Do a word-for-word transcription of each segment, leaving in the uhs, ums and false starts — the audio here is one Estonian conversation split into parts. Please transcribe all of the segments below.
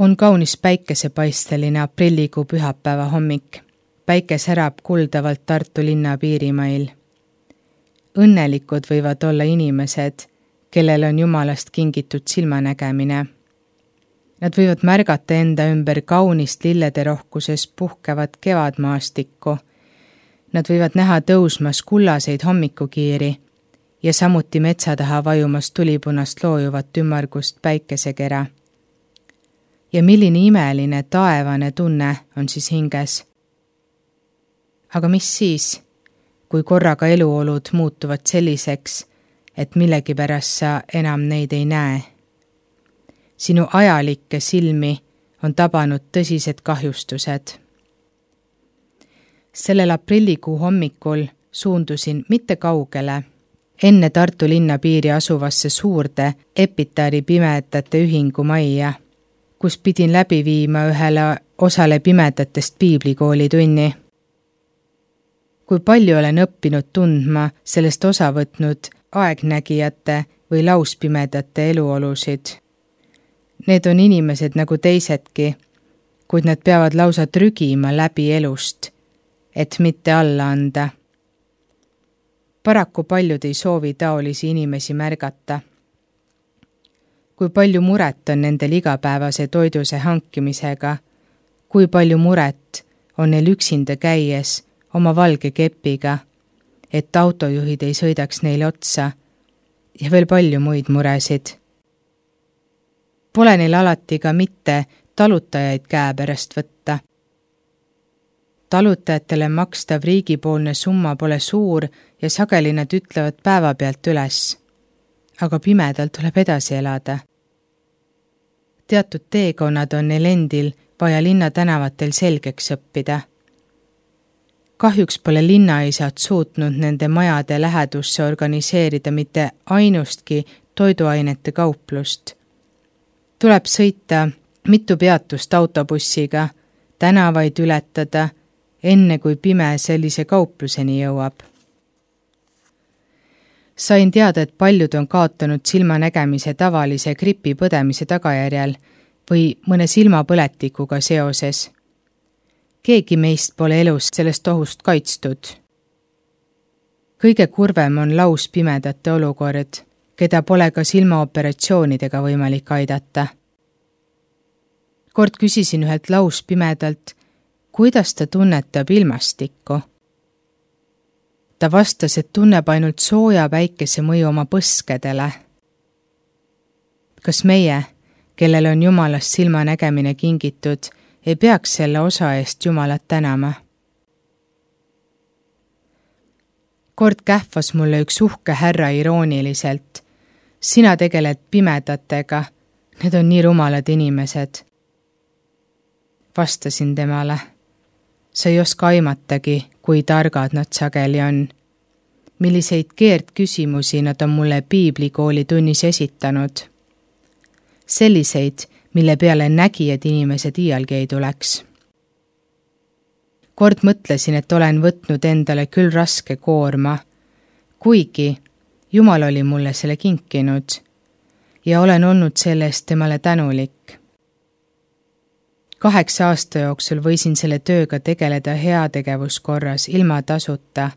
On kaunis päikesepaisteline aprillikuu pühapäeva hommik. Päike särab kuldavalt Tartu linna piirimail. Õnnelikud võivad olla inimesed, kellel on Jumalast kingitud silmanägemine. Nad võivad märgata enda ümber kaunist lillede rohkuses puhkevat kevadmaastikku. Nad võivad näha tõusmas kullaseid hommikukiiri ja samuti metsa taha vajumas tulipunast loojuvat ümmargust päikesekera. Ja milline imeline taevane tunne on siis hinges. Aga mis siis, kui korraga eluolud muutuvad selliseks, et millegipärast sa enam neid ei näe? Sinu ajalikke silmi on tabanud tõsised kahjustused. Sellel aprillikuu hommikul suundusin mitte kaugele, enne Tartu linna piiri asuvasse suurde Epitaari pimedate ühingu majja, kus pidin läbi viima ühele osale pimedatest piiblikooli tunni. Kui palju olen õppinud tundma sellest osa võtnud aegnägijate või lauspimedate eluolusid. Need on inimesed nagu teisedki, kuid nad peavad lausa trügima läbi elust, et mitte alla anda. Paraku paljud ei soovi taolisi inimesi märgata. Kui palju muret on nendel igapäevase toiduse hankimisega, kui palju muret on neil üksinda käies oma valge kepiga, et autojuhid ei sõidaks neile otsa ja veel palju muid muresid. Pole neil alati ka mitte talutajaid käe pärast võtta. Talutajatele makstav riigipoolne summa pole suur ja sageli nad ütlevad päeva pealt üles, aga pimedal tuleb edasi elada. Teatud teekonnad on neil endil vaja linna tänavatel selgeks õppida. Kahjuks pole linnaisad suutnud nende majade lähedusse organiseerida mitte ainustki toiduainete kauplust. Tuleb sõita mitu peatust autobussiga, tänavaid ületada, enne kui pime sellise kaupluseni jõuab. Sain teada, et paljud on kaotanud silmanägemise tavalise gripi põdemise tagajärjel või mõne silmapõletikuga seoses. Keegi meist pole elust sellest ohust kaitstud. Kõige kurvem on lauspimedate olukord, keda pole ka silmaoperatsioonidega võimalik aidata. Kord küsisin ühelt lauspimedalt, kuidas ta tunnetab ilmastikku. Ta vastas, et tunneb ainult sooja päikese mõju oma põskedele. Kas meie, kellel on Jumalast silmanägemine kingitud, ei peaks selle osa eest Jumalat tänama? Kord kähvas mulle üks uhke härra irooniliselt. Sina tegeled pimedatega, need on nii rumalad inimesed. Vastasin temale. Sa ei oska aimatagi, kui targad nad sageli on. Milliseid keerdküsimusi nad on mulle piiblikooli tunnis esitanud. Selliseid, mille peale nägijad inimesed iialgi ei tuleks. Kord mõtlesin, et olen võtnud endale küll raske koorma, kuigi Jumal oli mulle selle kinkinud ja olen olnud sellest temale tänulik. Kaheksa aasta jooksul võisin selle tööga tegeleda heategevuskorras ilma tasuta,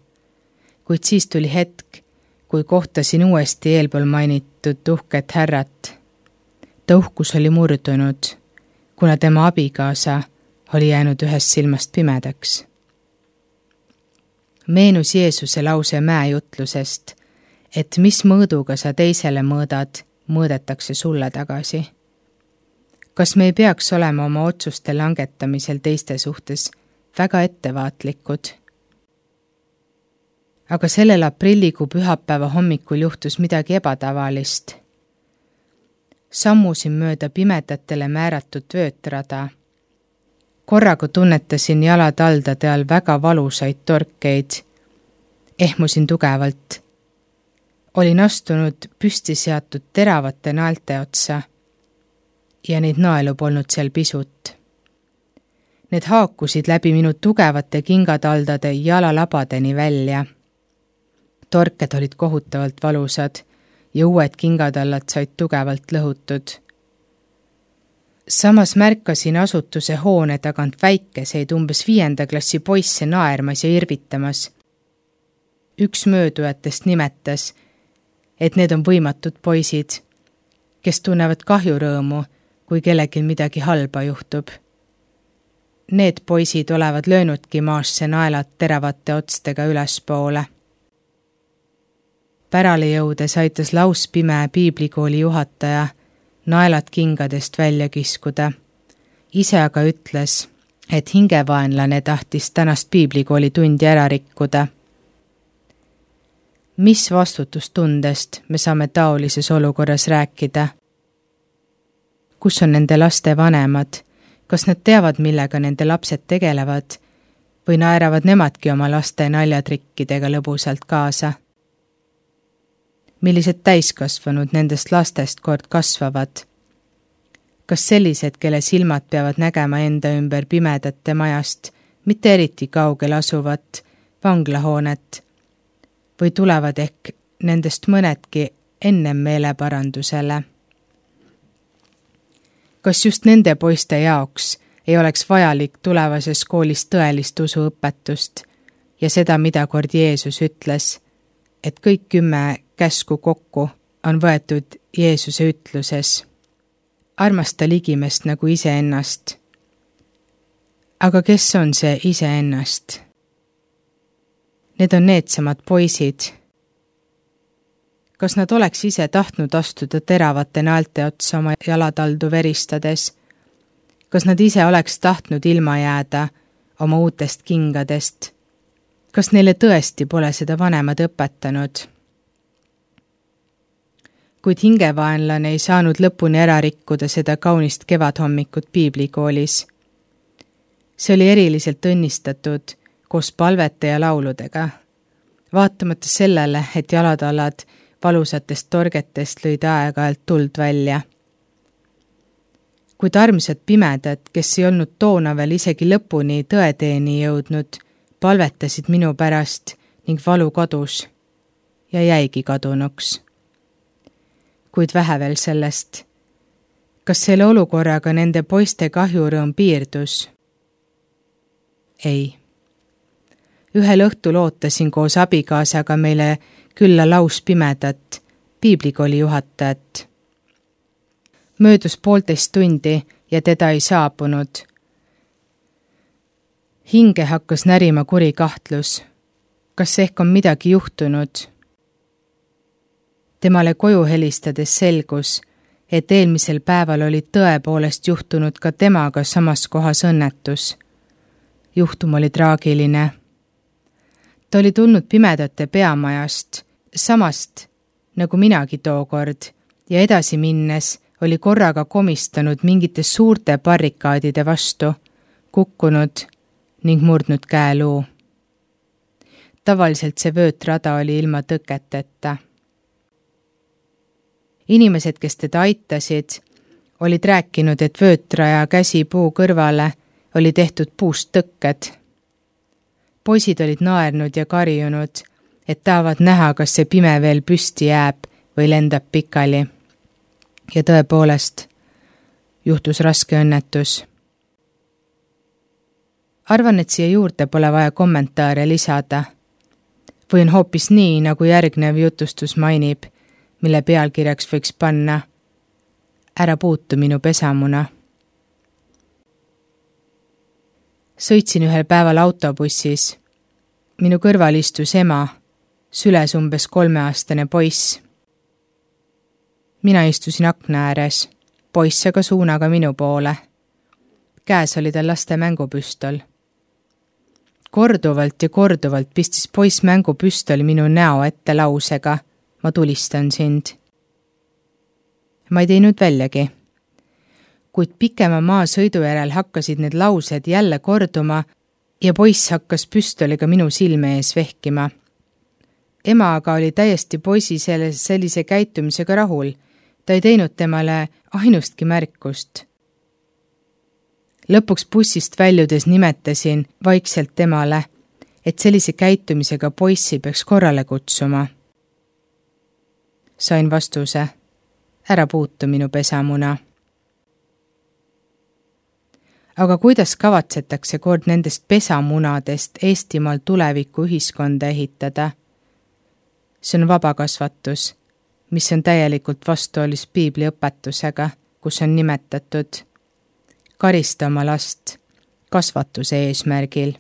kuid siis tuli hetk, kui kohtasin uuesti eelpool mainitud uhket härrat. Ta uhkus oli murdunud, kuna tema abikaasa oli jäänud ühest silmast pimedaks. Meenus Jeesuse lause mäejutlusest, et mis mõõduga sa teisele mõõdad, mõõdetakse sulle tagasi. Kas me ei peaks olema oma otsuste langetamisel teiste suhtes väga ettevaatlikud? Aga sellel aprillikuu pühapäeva hommikul juhtus midagi ebatavalist. Sammusin mööda pimedatele määratud vöötrada. Korraga tunnetasin jalataldade all väga valusaid torkeid. Ehmusin tugevalt. Olin astunud püsti seatud teravate naelte otsa ja neid naelu polnud seal pisut. Need haakusid läbi minu tugevate kingataldade jalalabadeni välja. Torked olid kohutavalt valusad ja uued kingatallad said tugevalt lõhutud. Samas märkasin asutuse hoone tagant väikeseid umbes viienda klassi poisse naermas ja irvitamas. Üks möödujatest nimetas, et need on võimatud poisid, kes tunnevad kahjurõõmu, kui kellelgi midagi halba juhtub. Need poisid olevad löönudki maasse naelad teravate otstega ülespoole. Pärale jõudes aitas lauspime piiblikooli juhataja naelad kingadest välja kiskuda. Ise aga ütles, et hingevaenlane tahtis tänast piiblikooli tundi ära rikkuda. Mis vastutustundest me saame taolises olukorras rääkida? Kus on nende laste vanemad? Kas nad teavad, millega nende lapsed tegelevad või naeravad nemadki oma laste naljatrikkidega lõbusalt kaasa? Millised täiskasvanud nendest lastest kord kasvavad? Kas sellised, kelle silmad peavad nägema enda ümber pimedate majast, mitte eriti kaugel asuvat vanglahoonet, või tulevad ehk nendest mõnedki ennem meeleparandusele? Kas just nende poiste jaoks ei oleks vajalik tulevases koolis tõelist usuõpetust ja seda, mida kord Jeesus ütles, et kõik kümme käsku kokku on võetud Jeesuse ütluses. Armasta ligimest nagu iseennast. Aga kes on see iseennast? Need on needsamad poisid. Kas nad oleks ise tahtnud astuda teravate naelte otsa oma jalataldu veristades? Kas nad ise oleks tahtnud ilma jääda oma uutest kingadest? Kas neile tõesti pole seda vanemad õpetanud? Kuid hingevaenlane ei saanud lõpuni ära rikkuda seda kaunist kevadhommikut piiblikoolis. See oli eriliselt õnnistatud koos palvete ja lauludega. Vaatamata sellele, et jalatallad valusatest torgetest lõid aeg-ajalt tuld välja. Kuid armsad pimedad, kes ei olnud toona veel isegi lõpuni tõeteeni jõudnud, palvetasid minu pärast ning valu kadus ja jäigi kadunuks. Kuid vähe veel sellest. Kas selle olukorraga nende poiste kahjurõõm piirdus? Ei. Ühel õhtul ootasin koos abikaasaga meile külla lauspimedat, piiblikooli juhatajat. Möödus poolteist tundi ja teda ei saabunud. Hinge hakkas närima kuri kahtlus. Kas ehk on midagi juhtunud? Temale koju helistades selgus, et eelmisel päeval oli tõepoolest juhtunud ka temaga samas kohas õnnetus. Juhtum oli traagiline. Ta oli tulnud pimedate peamajast, samast nagu minagi tookord, ja edasi minnes oli korraga komistanud mingite suurte barrikaadide vastu, kukkunud ning murdnud käeluu. Tavaliselt see vöötrada oli ilma tõketeta. Inimesed, kes teda aitasid, olid rääkinud, et vöötraja käsi puu kõrvale oli tehtud puust tõkked. Poisid olid naernud ja karjunud, et tahavad näha, kas see pime veel püsti jääb või lendab pikali. Ja tõepoolest, juhtus raske õnnetus. Arvan, et siia juurde pole vaja kommentaare lisada. Või on hoopis nii, nagu järgnev jutustus mainib, mille pealkirjaks võiks panna Ära puutu minu pesamuna. Sõitsin ühel päeval autobussis. Minu kõrval istus ema, süles umbes kolmeaastane poiss. Mina istusin akna ääres, poiss aga suunaga minu poole. Käes oli tal laste mängupüstol. Korduvalt ja korduvalt pistis poiss mängupüstoli minu näo ette lausega: ma tulistan sind. Ma ei teinud väljagi. Kuid pikema maasõidu järel hakkasid need laused jälle korduma ja poiss hakkas püstoliga minu silme ees vehkima. Ema aga oli täiesti poisi sellise käitumisega rahul. Ta ei teinud temale ainustki märkust. Lõpuks bussist väljudes nimetasin vaikselt temale, et sellise käitumisega poissi peaks korrale kutsuma. Sain vastuse: ära puutu minu pesamuna. Aga kuidas kavatsetakse kord nendest pesamunadest Eestimaal tuleviku ühiskonda ehitada? See on vabakasvatus, mis on täielikult vastuolus piibli õpetusega, kus on nimetatud karista oma last kasvatuse eesmärgil.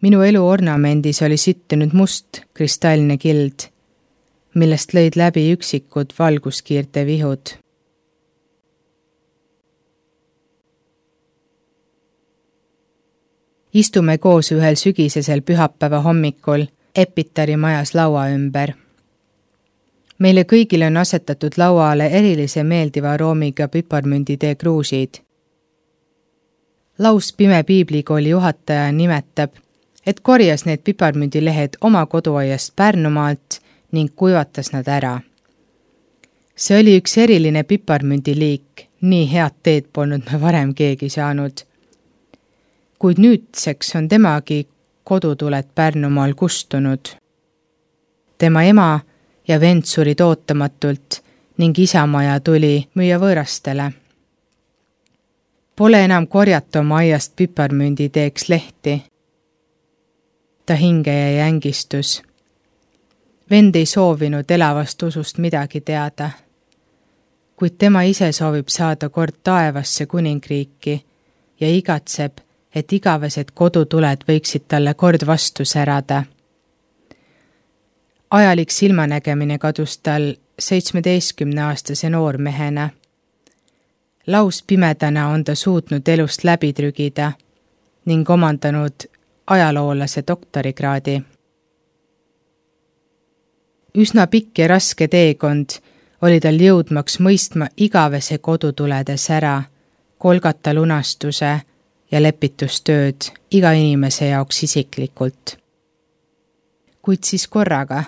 Minu elu ornamendis oli sittunud must kristalline kild, millest lõid läbi üksikud valguskiirte vihud. Istume koos ühel sügisesel pühapäeva hommikul Epitari majas laua ümber. Meile kõigile on asetatud lauale erilise meeldiva aroomiga piparmünditee kruusid. Laus Pime piiblikooli juhataja nimetab, et korjas need piparmündilehed oma koduaiast Pärnumaalt ning kuivatas nad ära. See oli üks eriline piparmündiliik, nii head teed polnud me varem keegi saanud. Kuid nüüdseks on temagi kodutuled Pärnumaal kustunud. Tema ema ja vend surid ootamatult ning isamaja tuli müüa võõrastele. Pole enam korjata oma aiast piparmünditeeks lehti. Ta hinge jäi ängistus. Vend ei soovinud elavast usust midagi teada, kuid tema ise soovib saada kord taevasse kuningriiki ja igatseb, et igavesed kodutuled võiksid talle kord vastu särada. Ajalik silmanägemine kadus tal seitsmeteistkümneaastase noormehena. Laus pimedana on ta suutnud elust läbi trügida ning omandanud ajaloolase doktorikraadi. Üsna pikk ja raske teekond oli tal jõudmaks mõistma igavese kodutulede sära, kolgata lunastuse ja lepitustööd iga inimese jaoks isiklikult. Kuid siis korraga,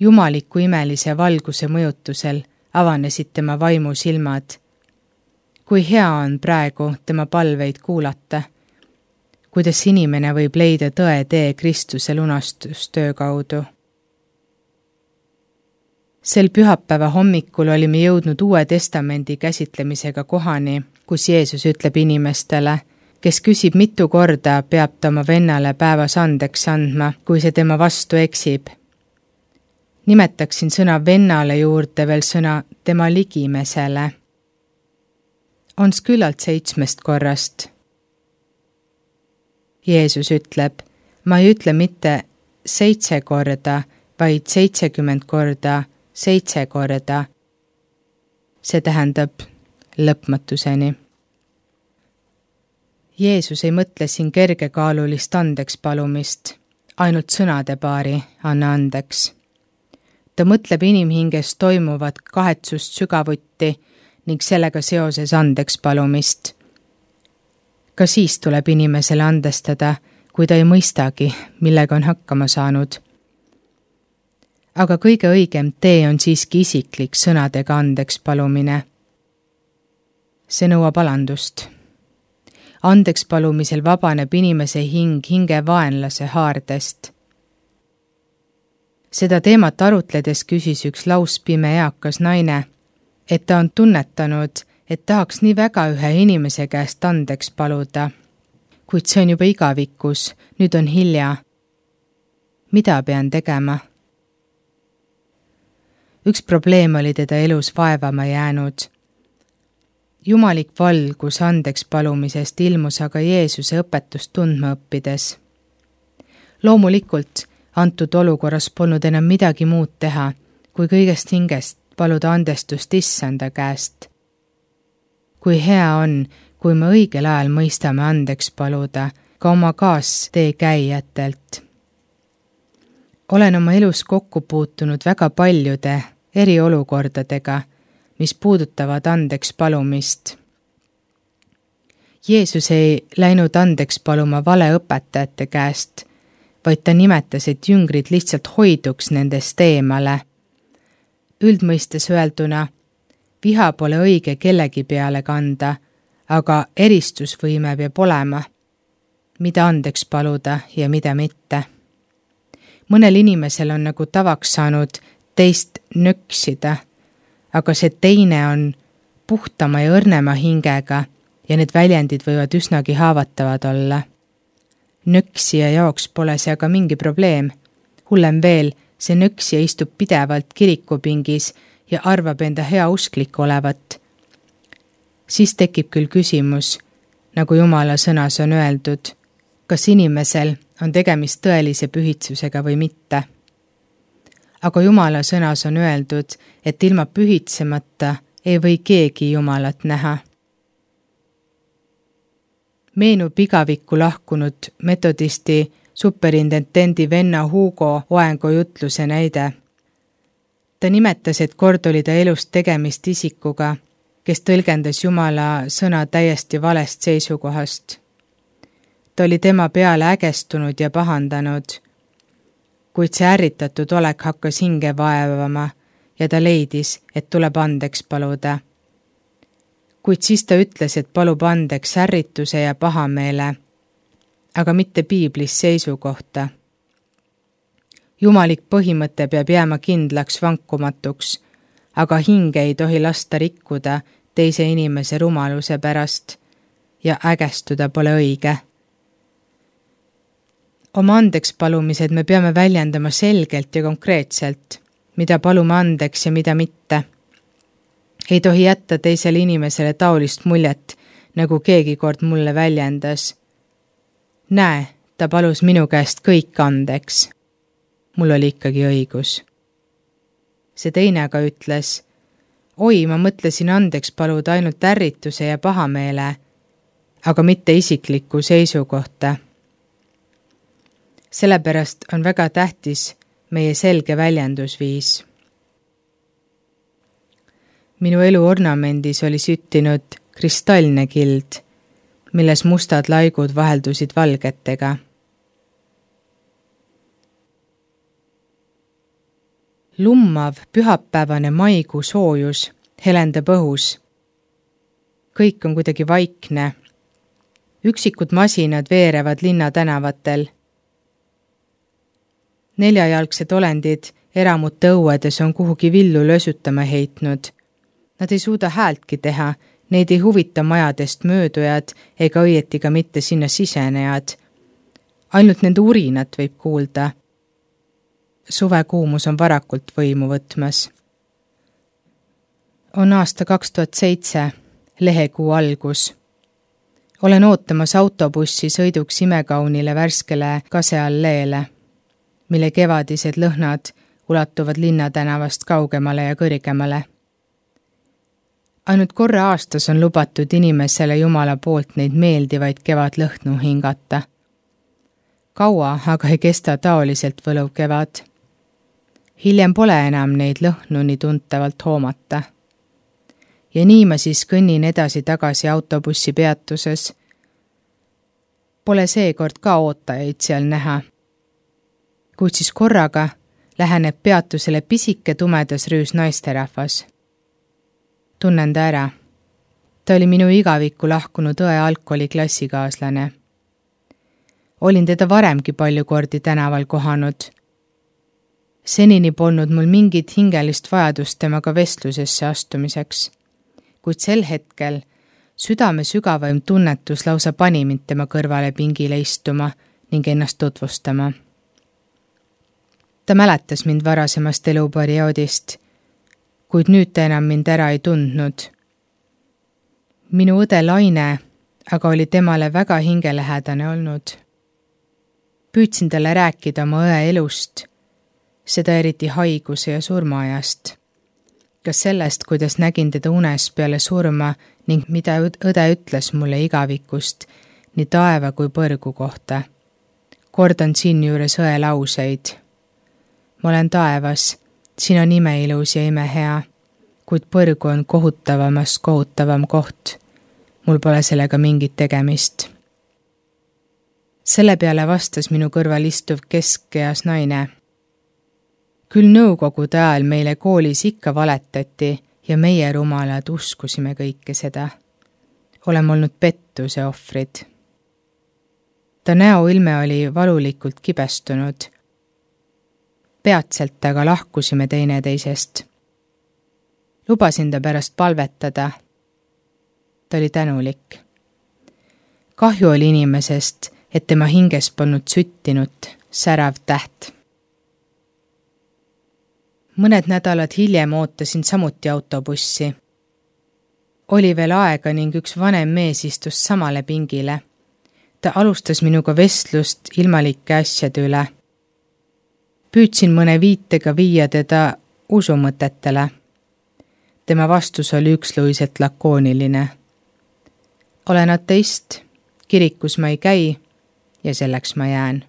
jumaliku imelise valguse mõjutusel avanesid tema vaimu silmad. Kui hea on praegu tema palveid kuulata, kuidas inimene võib leida tõe tee Kristuse lunastustöö kaudu. Sel pühapäeva hommikul olime jõudnud Uue Testamendi käsitlemisega kohani, kus Jeesus ütleb inimestele, kes küsib mitu korda, peab ta oma vennale päevas andeks andma, kui see tema vastu eksib. Nimetaksin sõna vennale juurde veel sõna tema ligimesele. Ons küllalt seitsmest korrast. Jeesus ütleb, ma ei ütle mitte seitse korda, vaid seitsekümmend korda, seitse korda. See tähendab lõpmatuseni. Jeesus ei mõtle siin kergekaalulist andeks palumist, ainult sõnade paari anna andeks. Ta mõtleb inimhinges toimuvat kahetsust sügavuti ning sellega seoses andeks palumist. Ka siis tuleb inimesele andestada, kui ta ei mõistagi, millega on hakkama saanud. Aga kõige õigem tee on siiski isiklik sõnadega andeks palumine. See nõuab alandust. Andeks palumisel vabaneb inimese hing hinge vaenlase haardest. Seda teemat arutledes küsis üks lauspime eakas naine, et ta on tunnetanud, et tahaks nii väga ühe inimese käest andeks paluda. Kuid see on juba igavikus, nüüd on hilja. Mida pean tegema? Üks probleem oli teda elus vaevama jäänud. Jumalik valgus andeks palumisest ilmus aga Jeesuse õpetust tundma õppides. Loomulikult, antud olukorras polnud enam midagi muud teha, kui kõigest hingest paluda andestust issanda käest. Kui hea on, kui me õigel ajal mõistame andeks paluda ka oma kaastee käijatelt. Olen oma elus kokku puutunud väga paljude eriolukordadega, mis puudutavad andeks palumist. Jeesus ei läinud andeks paluma vale õpetajate käest, vaid ta nimetas, et jüngrid lihtsalt hoiduks nendest eemale. Üldmõistes öelduna, viha pole õige kellegi peale kanda, aga eristusvõime peab olema, mida andeks paluda ja mida mitte. Mõnel inimesel on nagu tavaks saanud teist nöksida, aga see teine on puhtama ja õrnema hingega ja need väljendid võivad üsnagi haavatavad olla. Nöksija jaoks pole see aga mingi probleem. Hullem veel, see nöksija istub pidevalt kirikupingis ja arvab enda hea usklik olevat. Siis tekib küll küsimus, nagu Jumala sõnas on öeldud, kas inimesel on tegemist tõelise pühitsusega või mitte. Aga Jumala sõnas on öeldud, et ilma pühitsemata ei või keegi Jumalat näha. Meenub igavikku lahkunud metodisti superintendendi venna Hugo Oengo jutluse näide. Ta nimetas, et kord oli ta elust tegemist isikuga, kes tõlgendas Jumala sõna täiesti valest seisukohast. Ta oli tema peale ägestunud ja pahandanud, kuid see ärritatud olek hakkas hinge vaevama ja ta leidis, et tuleb andeks paluda. Kuid siis ta ütles, et palub andeks ärrituse ja pahameele, aga mitte piiblis seisukohta. Jumalik põhimõte peab jääma kindlaks vankumatuks, aga hinge ei tohi lasta rikkuda teise inimese rumaluse pärast ja ägestuda pole õige. Oma andeks palumised me peame väljendama selgelt ja konkreetselt, mida palume andeks ja mida mitte. Ei tohi jätta teisele inimesele taolist muljet, nagu keegi kord mulle väljendas. Näe, ta palus minu käest kõik andeks. Mul oli ikkagi õigus. See teine aga ütles, oi, ma mõtlesin andeks paluda ainult ärrituse ja pahameele, aga mitte isiklikku seisukohta. Sellepärast on väga tähtis meie selge väljendusviis. Minu elu ornamendis oli süttinud kristallne kild, milles mustad laigud vaheldusid valgetega. Lummav pühapäevane maikuu soojus helendab õhus. Kõik on kuidagi vaikne. Üksikud masinad veerevad linna tänavatel. Neljajalgsed olendid eramute õuedes on kuhugi villu lösutama heitnud. Nad ei suuda häältki teha, neid ei huvita majadest möödujad ega õieti ka mitte sinna sisenejad. Ainult nende urinat võib kuulda. Suvekuumus on varakult võimu võtmas. On aasta kaks tuhat seitse, lehekuu algus. Olen ootamas autobussi sõiduks imekaunile värskele kasealleele, mille kevadised lõhnad ulatuvad linnatänavast kaugemale ja kõrgemale. Ainult korra aastas on lubatud inimesele Jumala poolt neid meeldivaid kevadlõhnu hingata. Kaua aga ei kesta taoliselt võluv kevad. Hiljem pole enam neid lõhnu nii tuntavalt hoomata. Ja nii ma siis kõnnin edasi tagasi autobussi peatuses. Pole seekord ka ootajaid seal näha. Kuid siis korraga läheneb peatusele pisike tumedas rüüs naisterahvas. Tunnen ta ära. Ta oli minu igavikku lahkunud õe algkooli klassikaaslane. Olin teda varemgi palju kordi tänaval kohanud. Senini polnud mul mingit hingelist vajadust temaga vestlusesse astumiseks, kuid sel hetkel südame sügavaim tunnetus lausa pani mind tema kõrvale pingile istuma ning ennast tutvustama. Ta mäletas mind varasemast eluperioodist, kuid nüüd ta enam mind ära ei tundnud. Minu õde Laine aga oli temale väga hingelähedane olnud. Püüdsin talle rääkida oma õe elust, seda eriti haiguse ja surmaajast. Ka sellest, kuidas nägin teda unes peale surma ning mida õde ütles mulle igavikust nii taeva kui põrgu kohta. Kordan siin juures õe lauseid. Ma olen taevas, siin on imeilus ja imehea, kuid põrgu on kohutavamast kohutavam koht. Mul pole sellega mingit tegemist. Selle peale vastas minu kõrval istuv keskeas naine. Küll nõukogude ajal meile koolis ikka valetati ja meie rumalad uskusime kõike seda. Oleme olnud pettuse ohvrid. Ta näoilme oli valulikult kibestunud. Peatselt aga lahkusime teineteisest. Lubasin ta pärast palvetada, Ta oli tänulik. Kahju oli inimesest, et tema hinges polnud süttinud särav täht. Mõned nädalad hiljem ootasin samuti autobussi. Oli veel aega ning üks vanem mees istus samale pingile. Ta alustas minuga vestlust ilmalike asjade üle. Püüdsin mõne viitega viia teda usumõtetele. Tema vastus oli üksluiselt lakooniline. Olen ateist, kirikus ma ei käi ja selleks ma jään.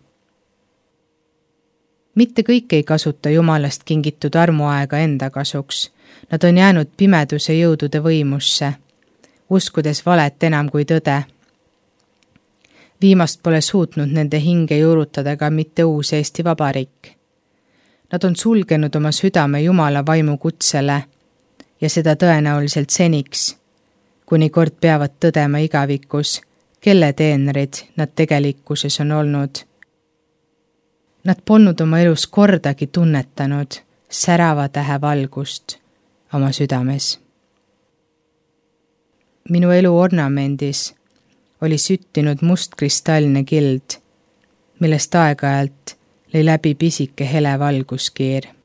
Mitte kõik ei kasuta Jumalast kingitud armuaega enda kasuks. Nad on jäänud pimeduse jõudude võimusse, uskudes valet enam kui tõde. Viimast pole suutnud nende hinge juurutada ka mitte uus Eesti Vabariik. Nad on sulgenud oma südame Jumala vaimu kutsele ja seda tõenäoliselt seniks, kuni kord peavad tõdema igavikus, kelle teenrid nad tegelikkuses on olnud. Nad polnud oma elus kordagi tunnetanud särava tähe valgust oma südames. Minu elu ornamendis oli süttinud mustkristallne kild, millest aeg-ajalt lõi läbi pisike hele valguskiir.